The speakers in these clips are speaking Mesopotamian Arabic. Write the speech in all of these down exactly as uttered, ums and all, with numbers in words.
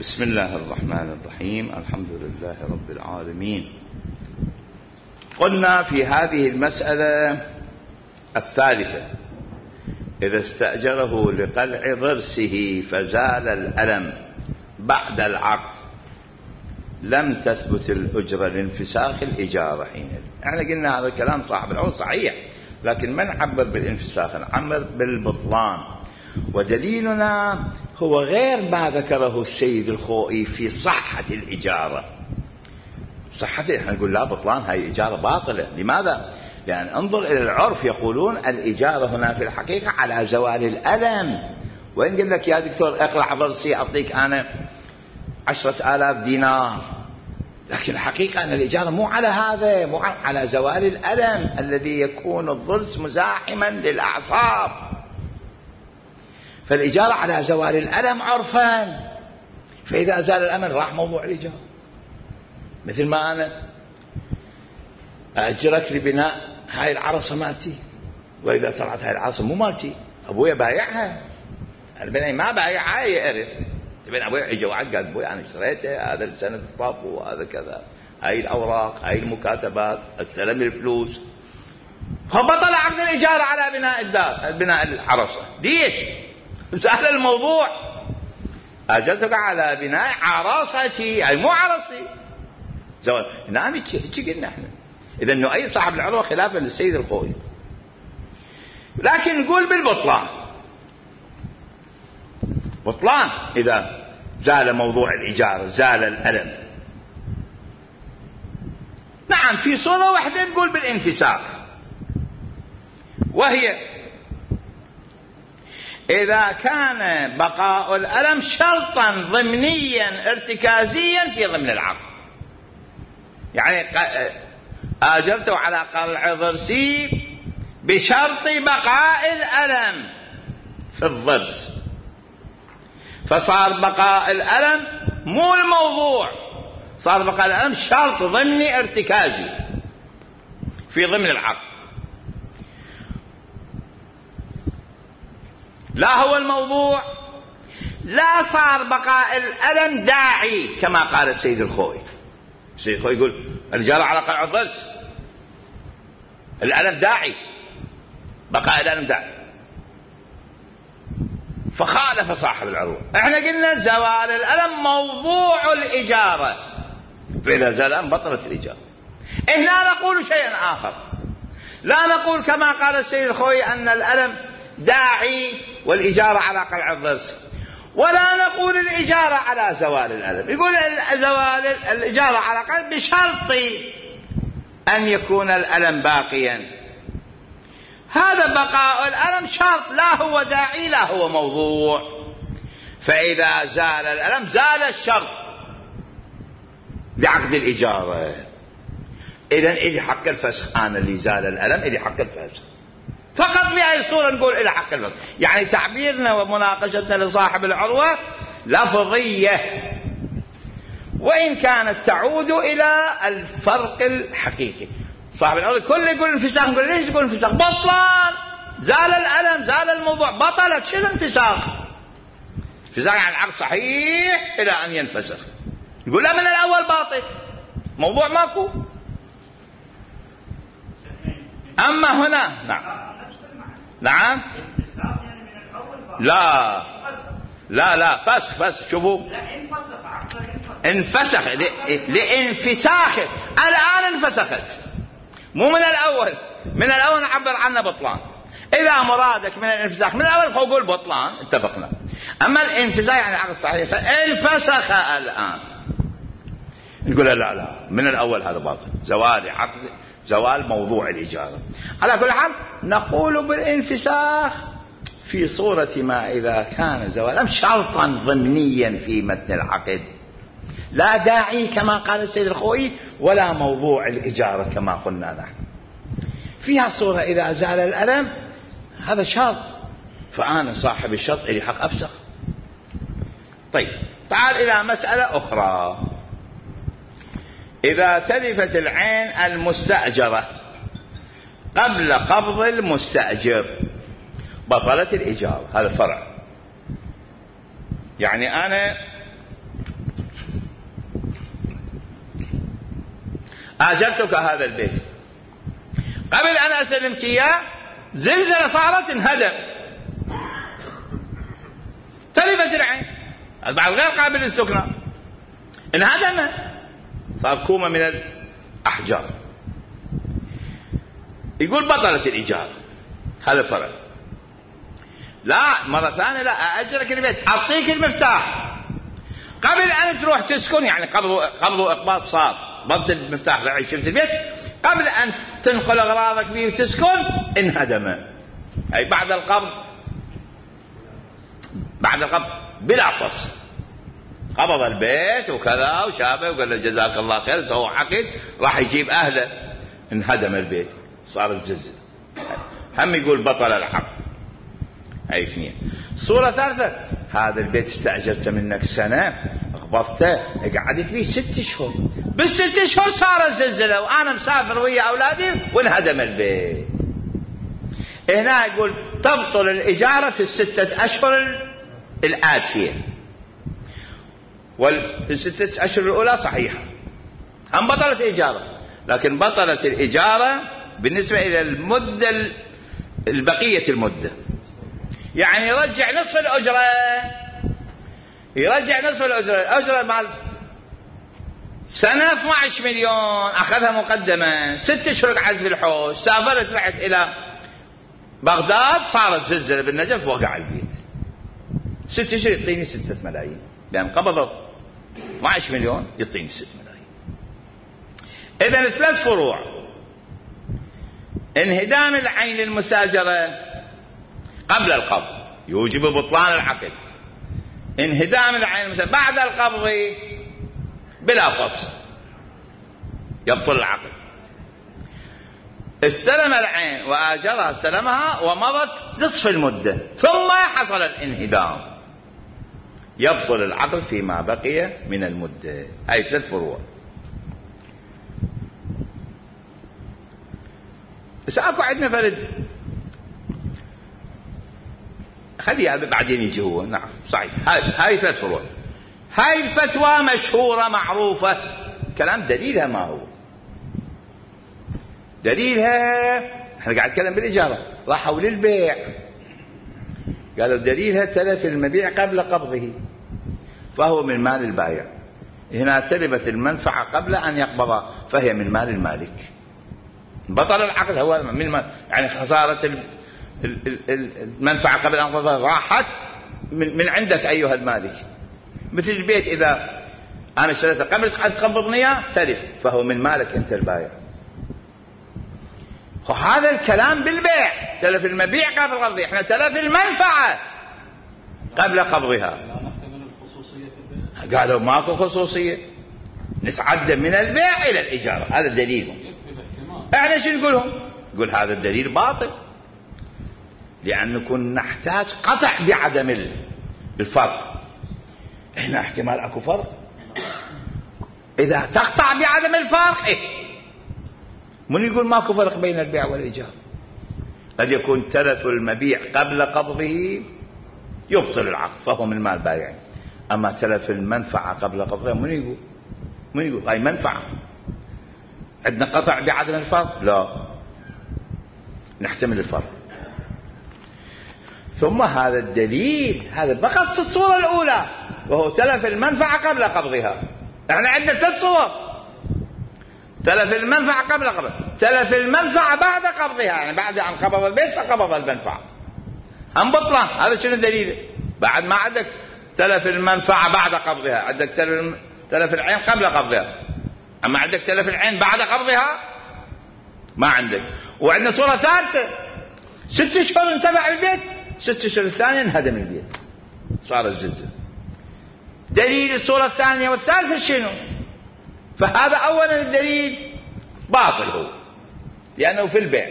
بسم الله الرحمن الرحيم. الحمد لله رب العالمين. قلنا في هذه المسألة الثالثة: إذا استأجره لقلع ضرسه فزال الألم بعد العقد لم تثبت الأجرة لانفساخ الإجارة حينئذ. احنا قلنا هذا الكلام صاحب العقد صحيح، لكن ما نعبر بالانفساخ، نعبر بالبطلان. ودليلنا هو غير ما ذكره السيد الخوئي في صحة الإجارة. صحة احنا نقول لا، بطلان، هاي إجارة باطلة. لماذا؟ لأن انظر إلى العرف، يقولون الإجارة هنا في الحقيقة على زوال الألم. وإن قل لك يا دكتور اقلع ضرسي أعطيك أنا عشرة آلاف دينار، لكن الحقيقة أن الإجارة مو على هذا، مو على زوال الألم الذي يكون الضرس مزاحما للأعصاب. فالإجارة على زوال الألم عرفا، فإذا زال الألم راح موضوع الإجارة. مثل ما أنا أأجرك لبناء هاي العرصة مالتي، وإذا طلعت هاي العرصة مو مالتي، أبويا بايعها، البناء ما بايعها يعرف. تبين أبويا يجي وعد قال أبويا أنا اشتريته، هذا السنة الطب وهذا كذا، هاي الأوراق، هاي المكاتبات، استلم الفلوس، فبطل عقد الإجارة على بناء الدار، بناء العرصة. ليش؟ سهل الموضوع، أجرتك على بناء عرصتي، أي مو عرصتي. زوال نعم، هيك قلنا احنا. إذا إنه أي صاحب العروة خلافا للسيد الخوئي. لكن نقول بالبطلان، بطلان إذا زال موضوع الإجارة، زال الألم. نعم، في صورة واحدة نقول بالانفساخ، وهي إذا كان بقاء الألم شرطا ضمنيا ارتكازيا في ضمن العقد. يعني آجرته على قلع ضرسي بشرط بقاء الألم في الضرس، فصار بقاء الألم مو الموضوع، صار بقاء الألم شرط ضمني ارتكازي في ضمن العقد، لا هو الموضوع. لا صار بقاء الألم داعي كما قال السيد الخوئي. السيد الخوئي يقول الإجارة على قلع الضرس الألم داعي، بقاء الألم داعي، فخالف صاحب العروة. احنا قلنا زوال الألم موضوع الإجارة، فإذا زال الألم بطلت الإجارة. هنا نقول شيئا آخر، لا نقول كما قال السيد الخوئي أن الألم داعي والإجارة على قلع الضرس، ولا نقول الإجارة على زوال الألم. يقول زوال الإجارة على قلع بشرط أن يكون الألم باقيا. هذا بقاء الألم شرط، لا هو داعي لا هو موضوع. فإذا زال الألم زال الشرط بعقد الإجارة. إذن إلي حق الفسخ، أنا اللي زال الألم إلي حق الفسخ فقط. في هذه الصورة نقول إلى حق الفسخ. يعني تعبيرنا ومناقشتنا لصاحب العروة لفظية، وإن كانت تعود إلى الفرق الحقيقي. صاحب العروة كل يقول انفساخ، نقول ليش تقول انفساخ؟ بطلان، زال الألم، زال الموضوع، بطلت. شنو انفساخ؟ انفساخ يعني العقد صحيح إلى أن ينفسخ. يقول لا، من الأول باطل، موضوع ماكو. أما هنا نعم نعم لا لا لا فسخ فسخ. شوفوا، انفسخ لانفساخ، الآن انفسخت، مو من الأول. من الأول نعبر عنه بطلان. إذا مرادك من الانفساخ من الأول فقول بطلان، اتفقنا. أما الانفساخ يعني العقد صحيح، انفسخ الآن، نقول لا لا من الأول هذا باطل، زوال عقد، زوال موضوع الإجارة. على كل حال نقول بالانفساخ في صورة ما إذا كان زوالا شرطا ضمنيا في متن العقد، لا داعي كما قال السيد الخوئي، ولا موضوع الإجارة كما قلنا نحن. فيها صورة إذا زال الألم هذا شرط، فأنا صاحب الشرط إلي حق أفسخ. طيب، تعال إلى مسألة أخرى. إذا تلفت العين المستأجرة قبل قبض المستأجر بطلت الإجارة. هذا فرع. يعني أنا آجرتك هذا البيت، قبل أن أسلمك إياه زلزلة صارت انهدم، تلفت العين، بعد غير قابل للسكنى، انهدم، صار كومة من الأحجار. يقول بطلت الإيجار، هذا فرق. لا مرة ثانية لا أأجرك البيت، أعطيك المفتاح قبل أن تروح تسكن، يعني قبض قبض وإقباض صار، ضبط المفتاح لعيش في البيت، قبل أن تنقل أغراضك به وتسكن انهدم. أي بعد القبض، بعد القبض بلا فصل، قبض البيت وكذا وشافه وقال له جزاك الله خير، سوى عقد راح يجيب أهله، انهدم البيت، صار الزلزال. هم يقول بطل العقد. أي اثنين. صورة ثالثة، هذا البيت استأجرته منك سنة، قبضته، قعدت فيه ست شهور، بالست شهور صار الزلزلة وأنا مسافر ويا أولادي وانهدم البيت. هنا يقول تبطل الإجارة في الستة أشهر الآتية، والستة أشهر الأولى صحيحة، هم بطلت الإجارة، لكن بطلت الإجارة بالنسبة إلى المدة البقية المدة، يعني يرجع نصف الأجرة، يرجع نصف الأجرة، الأجرة مال سنة اثني عشر مليون أخذها مقدمة، ست أشهر قعدت في الحوش، سافرت رحت إلى بغداد، صارت زلزلة بالنجف وقع البيت، ست أشهر يعطيني ستة ملايين، لأن قبضت اثني عشر مليون يعطيني ستة ملايين. إذن ثلاث فروع: انهدام العين للمساجرة قبل القبض يوجب بطلان العقد، انهدام العين المساجرة بعد القبض بلا فصل يبطل العقد. استلم العين وآجرها، استلمها ومضت نصف المدة ثم حصل الانهدام، يبطل العقد فيما بقي من المدة. أي ثلاث فروع. سأكو عندنا فرد، خليها بعدين يجي هو. نعم صحيح، هاي هاي ثلاث فروع. هاي الفتوى مشهورة معروفة، كلام دليلها ما هو؟ دليلها احنا قاعد نتكلم بالإجارة، راحوا للبيع قالوا دليلها تلف المبيع قبل قبضه فهو من مال البائع، هنا تلفت المنفعة قبل أن يقبضها فهي من مال المالك، بطل العقد هو من مال، يعني خسارة المنفعة قبل أن يقبضها راحت من عندك أيها المالك. مثل البيت إذا أنا اشتريته قبل أن تقبضني إياه تلف فهو من مالك أنت البائع. وهذا الكلام بالبيع، تلف المبيع قبل قبضه، احنا تلف المنفعة قبل قبضها. قالوا ماكو خصوصية، نتعدى من البيع إلى الإجارة، هذا دليلهم. احنا شو نقولهم؟ نقول هذا الدليل باطل، لأن نكون نحتاج قطع بعدم الفرق. هنا احتمال اكو فرق، إذا تقطع بعدم الفرق إيه؟ من يقول ماكو فرق بين البيع والإيجار؟ قد يكون تلف المبيع قبل قبضه يبطل العقد فهو من مال بائع، أما تلف المنفعة قبل قبضها من يقول؟ من يقول هاي منفعة، عندنا قطع بعدم الفرق؟ لا، نحتمل الفرق. ثم هذا الدليل هذا فقط في الصورة الأولى وهو تلف المنفعة قبل قبضها. احنا عندنا ثلاث صور: تلف المنفعة قبل قبض، تلف المنفعة بعد قبضها، يعني بعد أن قبض البيت فقبض المنفعة، هم بطلان. هذا شنو الدليل؟ بعد ما عندك تلف المنفعة بعد قبضها، عندك تلف, تلف العين قبل قبضها، أما عندك تلف العين بعد قبضها ما عندك. وعندنا صورة ثالثة: ست اشهر انتفع البيت، ست اشهر الثانية انهدم البيت صار الزلزال. دليل الصورة الثانية والثالثة شنو؟ فهذا أولا الدليل باطل هو، لأنه في البيع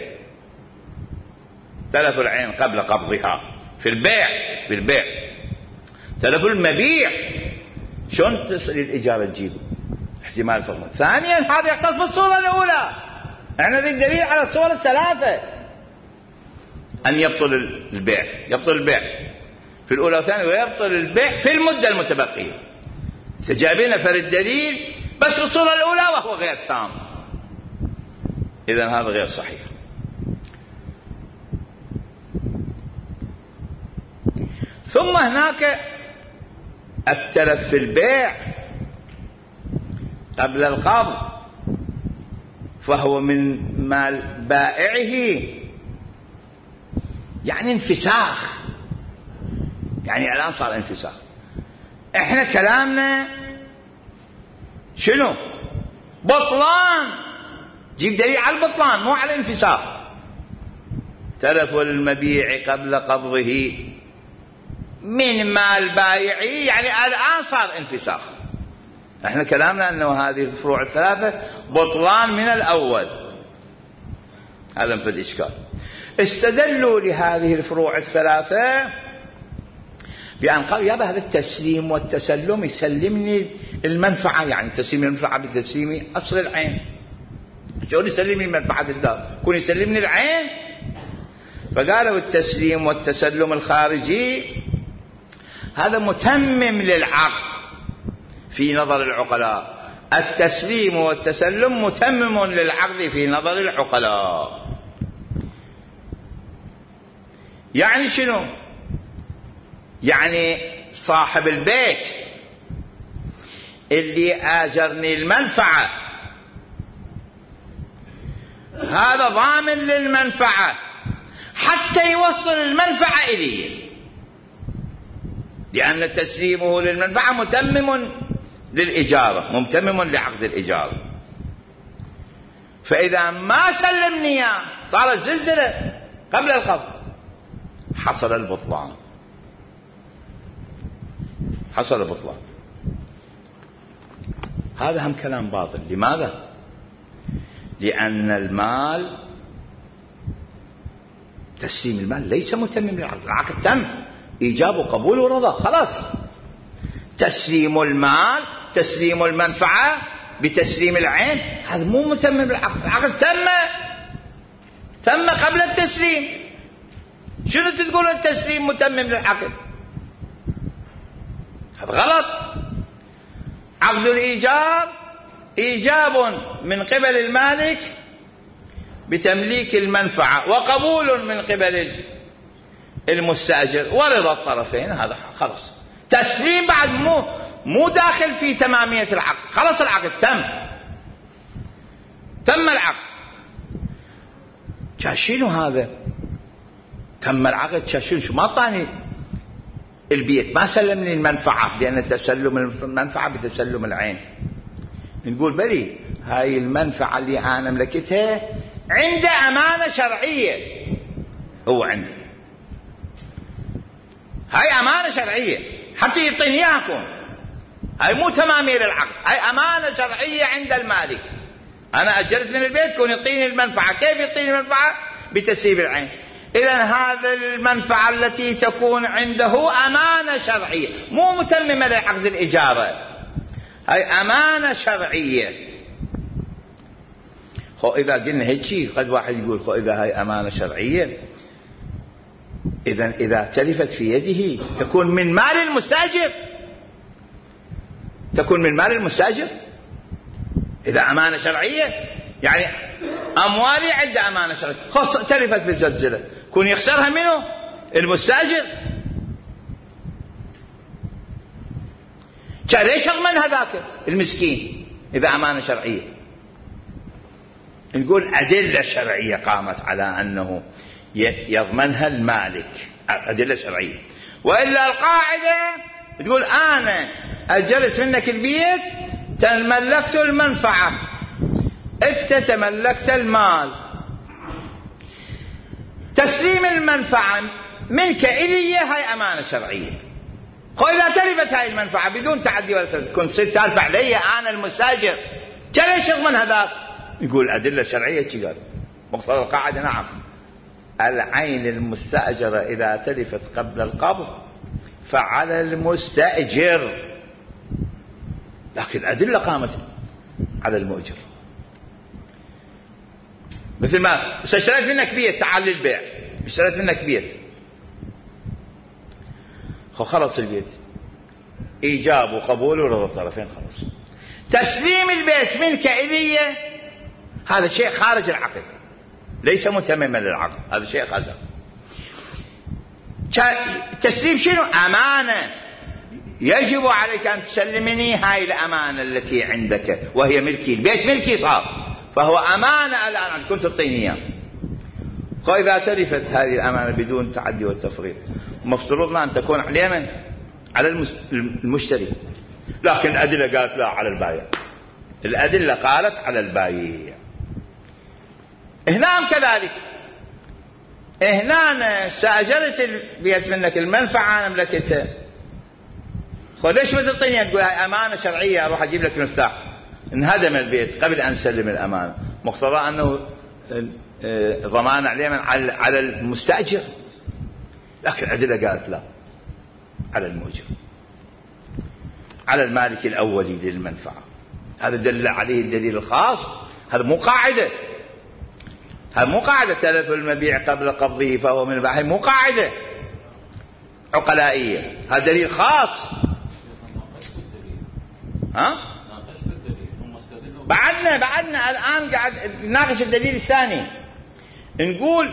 تلف العين قبل قبضها، في البيع في البيع تلف المبيع شلون تصل الإجارة تجيبه؟ احتمال فرق. ثانيا هذا يختص بالصورة الأولى، احنا نريد دليل على الصور الثلاثة أن يبطل البيع، يبطل البيع في الأولى والثانية، ويبطل البيع في المدة المتبقية. سجابنا فرد دليل بس في الصورة الأولى وهو غير تام، إذن هذا غير صحيح. ثم هناك التلف في البيع قبل القبض، فهو من مال بائعه، يعني انفساخ، يعني الآن صار انفساخ. احنا كلامنا شنو؟ بطلان، جيب دليل على البطلان مو على الانفساخ. تلف المبيع قبل قبضه من مال بايعه، يعني الآن صار انفساخ. احنا كلامنا انه هذه الفروع الثلاثة بطلان من الأول، هذا في الإشكال. استدلوا لهذه الفروع الثلاثة بأن قالوا يابا هذا التسليم والتسلم يسلمني المنفعة، يعني تسليم المنفعة بتسليم أصل العين. شلون يسلمني منفعة الدار؟ يكون يسلمني العين. فقالوا التسليم والتسلم الخارجي هذا متمم للعقد في نظر العقلاء. التسليم والتسلم متمم للعقد في نظر العقلاء. يعني شنو؟ يعني صاحب البيت اللي آجرني المنفعة هذا ضامن للمنفعة حتى يوصل المنفعة إليه، لأن تسليمه للمنفعة متمم للإجارة، متمم لعقد الإجارة. فإذا ما سلمني صارت زلزلة قبل القبض، حصل البطلان، حصل البطلان. هذا هم كلام باطل. لماذا؟ لأن المال، تسليم المال ليس متمم للعقد، العقد تم إيجاب وقبول ورضا، خلاص. تسليم المال، تسليم المنفعة بتسليم العين، هذا مو متمم للعقد، العقد تم تم قبل التسليم. شنو تقول التسليم متمم للعقد؟ هذا غلط. عقد الإيجار إيجاب من قبل المالك بتمليك المنفعة، وقبول من قبل المستأجر، ورضا الطرفين، هذا خلاص. تسليم بعد مو مو داخل في تمامية العقد، خلاص العقد تم تم العقد. شنو هذا؟ تم العقد شنو؟ شو ما طاني البيت، ما سلمني المنفعة، لأن تسلم المنفعة بتسلم العين. نقول بلي هاي المنفعة اللي أنا ملكتها عنده أمانة شرعية، هو عنده هاي أمانة شرعية حتى يعطيني إياكم، هاي مو تمامير العقد، هاي أمانة شرعية عند المالك. أنا أجرت من البيت كون يعطيني المنفعة. كيف يعطيني المنفعة؟ بتسييب العين. إذن هذا المنفعة التي تكون عنده أمانة شرعية مو متممة لعقد الإجارة، هاي أمانة شرعية. خو إذا قلنا هيك قد واحد يقول خو إذا هاي أمانة شرعية إذن إذا تلفت في يده تكون من مال المستأجر، تكون من مال المستأجر إذا أمانة شرعية. يعني أموالي عنده أمانة شرعية، خو تلفت بالزلزلة كون يخسرها منه المستأجر. كان ليش يضمن هذاك المسكين إذا أمانة شرعية؟ نقول أدلة شرعية قامت على أنه يضمنها المالك، أدلة شرعية. وإلا القاعدة تقول أنا أجرت منك البيت تملكت المنفعة، أنت تملكت المال. تسليم المنفعة منك إلي هاي أمانة شرعية. وإذا تلفت هاي المنفعة بدون تعدي ولا تلف كنت صرت تلف علي أنا المستأجر، ليش يضمن هذاك؟ يقول أدلة شرعية شي قال مقصد القاعدة نعم العين المستأجرة إذا تلفت قبل القبض فعلى المستأجر، لكن الأدلة قامت على المؤجر. مثل ما اشتريت منك بيت تعال للبيع، اشتريت منك بيت خلص البيت إيجاب وقبول ورضا الطرفين خلص. تسليم البيت منك إلي هذا شيء خارج العقد، ليس متمما للعقد، هذا شيء خارج العقد. التسليم شنو؟ أمانة، يجب عليك أن تسلمني هاي الأمانة التي عندك وهي ملكي، البيت ملكي صار، فهو أمانة الآن كنت تعطيني إياه. وإذا تلفت هذه الأمانة بدون تعدي والتفريط مفترضنا أن تكون على على المشتري، لكن الأدلة قالت لا، على البائع. الأدلة قالت على البائع. هنا كذلك، هنا استأجرت البيت منك، المنفعة أنا ملكتها، ليش ما تعطيني؟ تقول هاي أمانة شرعية، أروح أجيب لك المفتاح. انهدم البيت قبل أن سلم الأمانة، مقتضى أنه ضمان عليه على المستأجر، لكن الأدلة قالت لا، على المؤجر، على المالك الأولي للمنفعة. هذا دل عليه الدليل الخاص، هذا مو قاعدة، هذا مو قاعدة تلف المبيع قبل قبضه فهو من البائع، مو قاعدة عقلائية، هذا دليل خاص. ها؟ بعدنا بعدنا الآن قاعد نناقش الدليل الثاني. نقول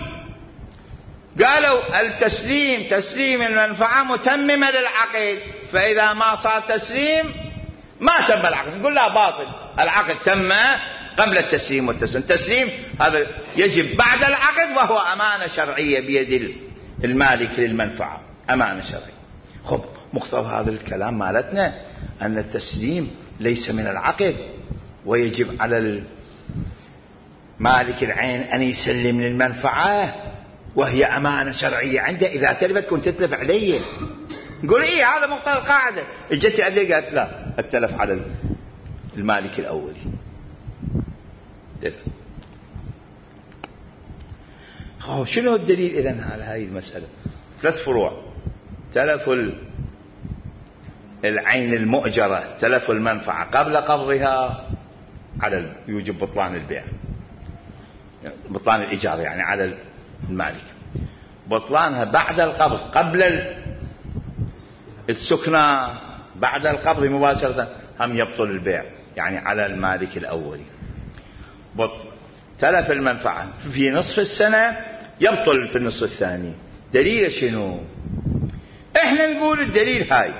قالوا التسليم تسليم المنفعة متممة للعقد، فإذا ما صار تسليم ما تم العقد، نقول لا، باطل، العقد تم قبل التسليم والتسليم. التسليم هذا يجب بعد العقد، وهو أمانة شرعية بيد المالك للمنفعة، أمانة شرعية. خب مقتضى هذا الكلام مالتنا أن التسليم ليس من العقد، ويجب على مالك العين أن يسلم للمنفعة وهي أمانة شرعية عنده، إذا تلفت كنت تتلف علي. نقول إيه هذا مقتضى القاعدة. اجت عليه قالت لا، التلف على المالك الأولي. شنو الدليل إذن على هذه المسألة؟ ثلاث فروع: تلف العين المؤجرة، تلف المنفعة قبل قبضها، على يوجب بطلان البيع، بطلان الإيجار يعني على المالك. بطلانها بعد القبض، قبل السكنة، بعد القبض مباشرة هم يبطل البيع، يعني على المالك الأولي. تلف المنفعة في نصف السنة، يبطل في النصف الثاني. دليل شنو؟ احنا نقول الدليل هاي،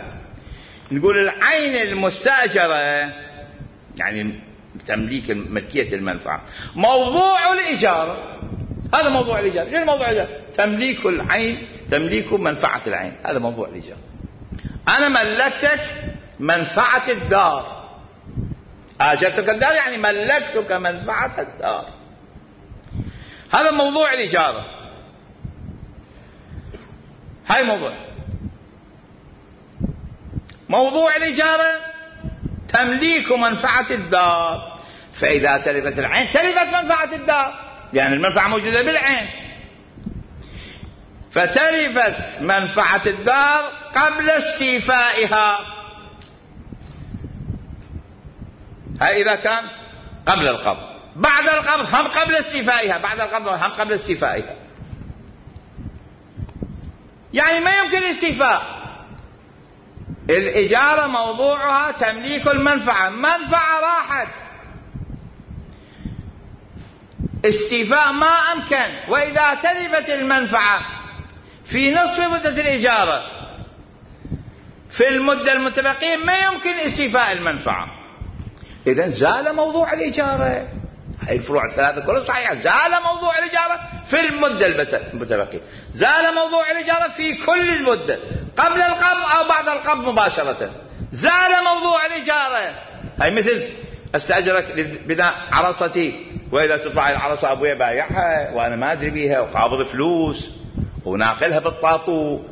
نقول العين المستأجرة يعني تمليك ملكية المنفعة موضوع الإيجار، هذا موضوع الإيجار. شنو موضوع الإيجار؟ تمليك العين، تمليك منفعة العين، هذا موضوع الإيجار. أنا ملكتك منفعة الدار، آجرتك الدار يعني ملكتك منفعة الدار، هذا موضوع الإيجار. هاي موضوع موضوع الإجارة تمليك منفعة الدار، فإذا تلفت العين تلفت منفعة الدار، لأن المنفعة موجودة بالعين، فتلفت منفعة الدار قبل استيفائها. هاي إذا كان قبل القبض. بعد القبض هم قبل استيفائها، بعد القبض هم قبل استيفائها، يعني ما يمكن الاستيفاء. الإجارة موضوعها تمليك المنفعة، منفعة راحت، استيفاء ما أمكن. وإذا تلفت المنفعة في نصف مدة الإجارة، في المدة المتبقية ما يمكن استيفاء المنفعة، إذن زال موضوع الإجارة. هاي الفروع الثلاثة كلها صحيحة. زال موضوع الإجارة في المدة المتبقية، زال موضوع الإجارة في كل المدة، قبل القبض أو بعد القبض مباشرة، زال موضوع الإجارة. هاي مثل استأجرك لبناء عرصتي، وإذا تطلع العرصة أبويا بايعها وأنا ما أدري بيها، وقابض فلوس وناقلها بالطابو،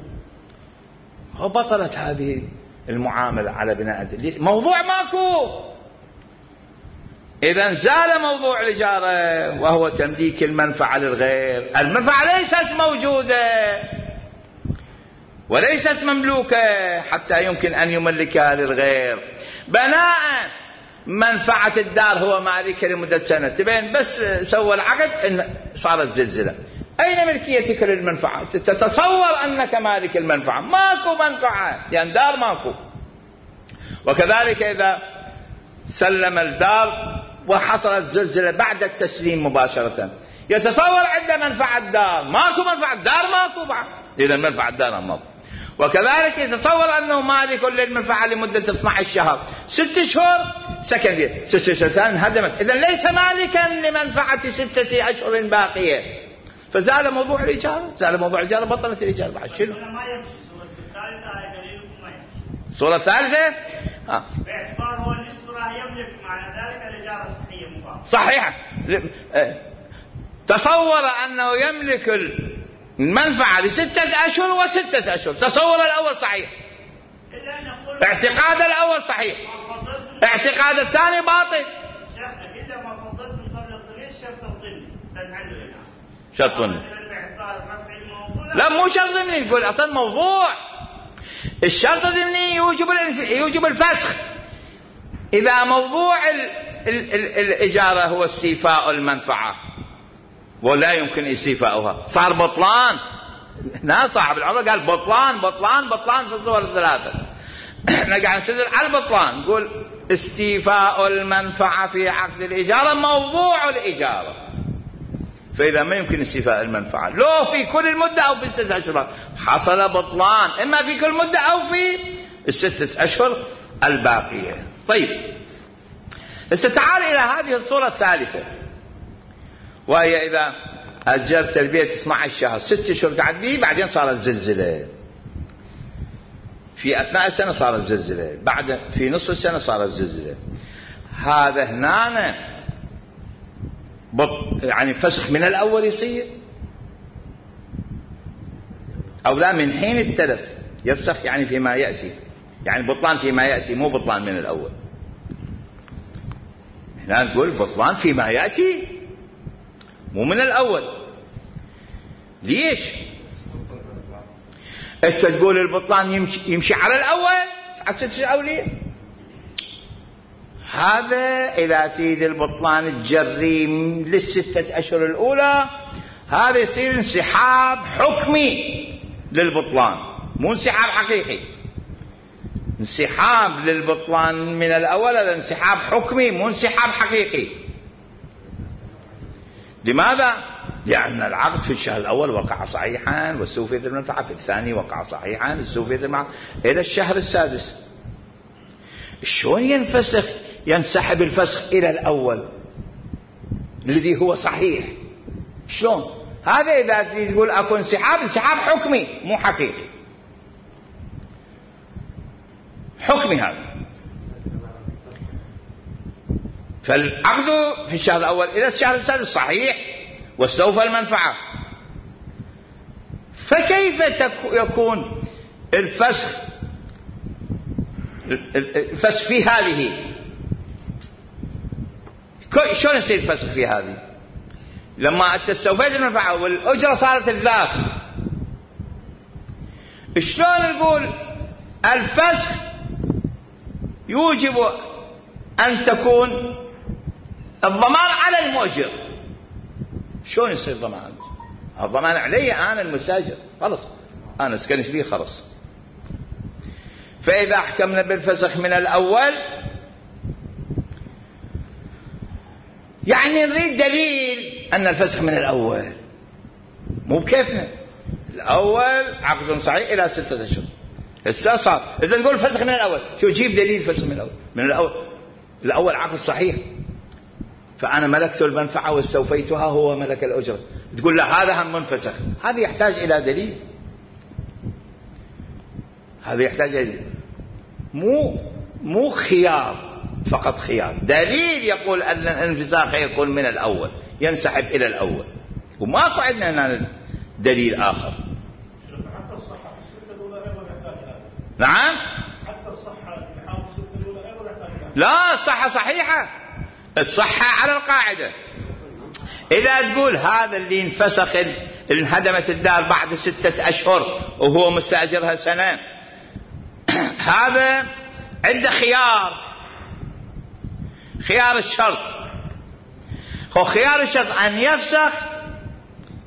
وبطلت هذه المعاملة على بناء موضوع ماكو. إذن زال موضوع الإجارة وهو تمليك المنفعة للغير. المنفعة ليست موجودة وليست مملوكة حتى يمكن أن يملكها للغير. بناء منفعة الدار هو مالكها لمدة سنة، تبين بس سوى العقد إن صارت زلزلة، أين ملكيتك للمنفعة؟ تتصور أنك مالك المنفعة، ماكو منفعة لأن دار ماكو. وكذلك إذا سلم الدار وحصلت زلزلة بعد التسليم مباشرة، يتصور عنده منفعة الدار، ماكو منفعة الدار ماكو بعد، إذا منفعة الدار ماكو. وكذلك يتصور أنه مالك للمنفعة لمدة اثني عشر شهر، ست شهور سكن فيها، ست شهور ثانية انهدمت، إذا ليس مالكا لمنفعة ستة أشهر باقية، فزال موضوع الإيجار، زال موضوع الإيجار، بطلت الإيجار بعد. شنو؟ الصورة الثالثة آه. باعتبار هو الإصرار يملك، معنى ذلك الإجارة الصحية مباشرة. صحيح. تصور أنه يملك المنفعة لستة أشهر وستة أشهر، تصور الأول صحيح، اعتقاد الأول صحيح، اعتقاد الثاني باطل. إلا ما فضلت قبل الظليل شرط الظل تنعلل شرط ظل، لا مو شرط ضمني، يقول أصلا موضوع الشرط الضمني يوجب يوجب الفسخ. إذا موضوع ال ال ال الإجارة هو استيفاء المنفعة ولا يمكن استيفاؤها، صار بطلان. هنا صاحب العمر قال بطلان بطلان بطلان في الصور الثلاثة. احنا قاعد نستدل على البطلان، نقول استيفاء المنفعة في عقد الإجارة موضوع الإجارة، فإذا ما يمكن استيفاء المنفعة لو في كل المدة أو في الستة أشهر حصل بطلان، إما في كل مدة أو في الستة أشهر الباقية. طيب ستعال إلى هذه الصورة الثالثة، وهي إذا أجرت البيت اثني عشر شهر، ست أشهر قعد به، بعدين صارت زلزلة، في أثناء السنة صارت زلزلة، بعد في نصف السنة صارت زلزلة، هذا هنا يعني فسخ من الأول يصير أو لا؟ من حين التلف يفسخ، يعني فيما يأتي، يعني بطلان فيما يأتي، مو بطلان من الأول. هنا نقول بطلان فيما يأتي مو من الأول. ليش؟ أنت تقول البطلان يمشي, يمشي على الأول على ستة أولية، هذا إذا تريد البطلان الجريم للستة أشهر الأولى، هذا يصير انسحاب حكمي للبطلان، مو انسحاب حقيقي. انسحاب للبطلان من الأول هذا انسحاب حكمي مو انسحاب حقيقي. لماذا؟ لأن العقد في الشهر الأول وقع صحيحا واستوفيت المنفعة، في الثاني وقع صحيحا استوفيت المنفعة، إلى الشهر السادس. شلون ينفسخ ينسحب الفسخ إلى الأول الذي هو صحيح؟ شلون؟ هذا إذا تريد تقول أكو انسحاب، انسحاب حكمي مو حقيقي، حكمي هذا. فالعقد في الشهر الأول إلى الشهر السادس صحيح واستوفى المنفعة، فكيف يكون الفسخ الفسخ في هذه؟ شلون يصير الفسخ في هذه لما استوفيت المنفعة والأجرة صارت الذات؟ شلون نقول الفسخ يوجب أن تكون الضمان على المؤجر؟ شلون يصير ضمان؟ الضمان علي أنا المستأجر، خلص أنا سكنت بيه خلص. فإذا حكمنا بالفسخ من الأول يعني نريد دليل أن الفسخ من الأول، مو بكيفنا. الأول عقد صحيح إلى ستة أشهر، هسه صار إذا تقول فسخ من الأول، شو جيب دليل فسخ من الأول؟ من الأول الأول عقد صحيح، فأنا ملكت المنفعة واستوفيتها، هو ملك الأجرة، تقول لا هذا هم منفسخ، هذا يحتاج إلى دليل، هذا يحتاج إلى مو مو خيار فقط، خيار دليل يقول أن الانفساخ يكون من الأول، ينسحب إلى الأول، وماكو عندنا هنا دليل آخر. حتى الصحة في الستة الأولى أيضا يحتاج إلى، نعم حتى الصحة في حال الستة الأولى أيضا يحتاج إلى، لا الصحة صحيحة، الصحة على القاعدة. إذا تقول هذا اللي انفسخ انهدمت الدار بعد ستة أشهر وهو مستأجرها سنة، هذا عنده خيار، خيار الشرط، هو خيار الشرط أن يفسخ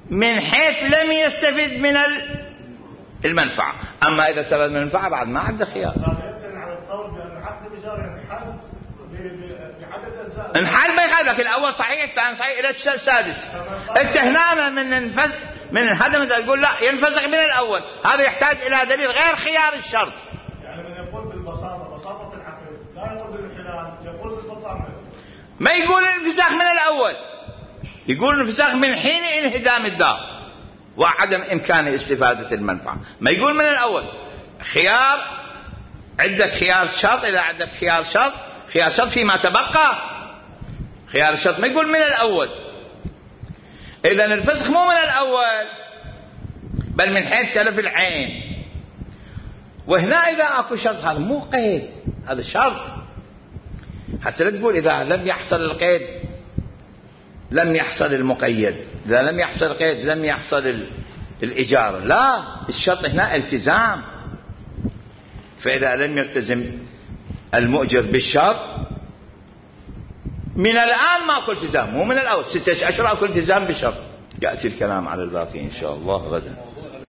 من حيث لم يستفد من المنفعة، أما إذا استفد من المنفعة بعد ما عنده خيار. انحل ما يخالفك، الاول صحيح الثاني صحيح الى السادس. انت هنا من انفز من انهدم تقول لا ينفسخ من الاول، هذا يحتاج الى دليل غير خيار الشرط. يعني من يقول بالبساطه بساطه العقل لا يقول بالانحلال، يقول بالفصاحه. ما يقول الانفساخ من الاول، يقول الانفساخ من حين انهدام الدار وعدم امكان استفاده المنفعه، ما يقول من الاول. خيار عندك خيار شرط، اذا عندك خيار شرط خيار شرط فيما تبقى خيار الشرط، ما يقول من الأول. إذن الفسخ مو من الأول بل من حيث تلف العين. وهنا إذا أكو شرط هذا مو قيد، هذا شرط، حتى لا تقول إذا لم يحصل القيد لم يحصل المقيد، إذا لم يحصل القيد لم يحصل الإجارة. لا، الشرط هنا التزام، فإذا لم يلتزم المؤجر بالشرط من الآن ماكو التزام، مو من الأول، ستة أشهر أكو التزام بالشرط. يأتي الكلام على الباقي إن شاء الله غدا.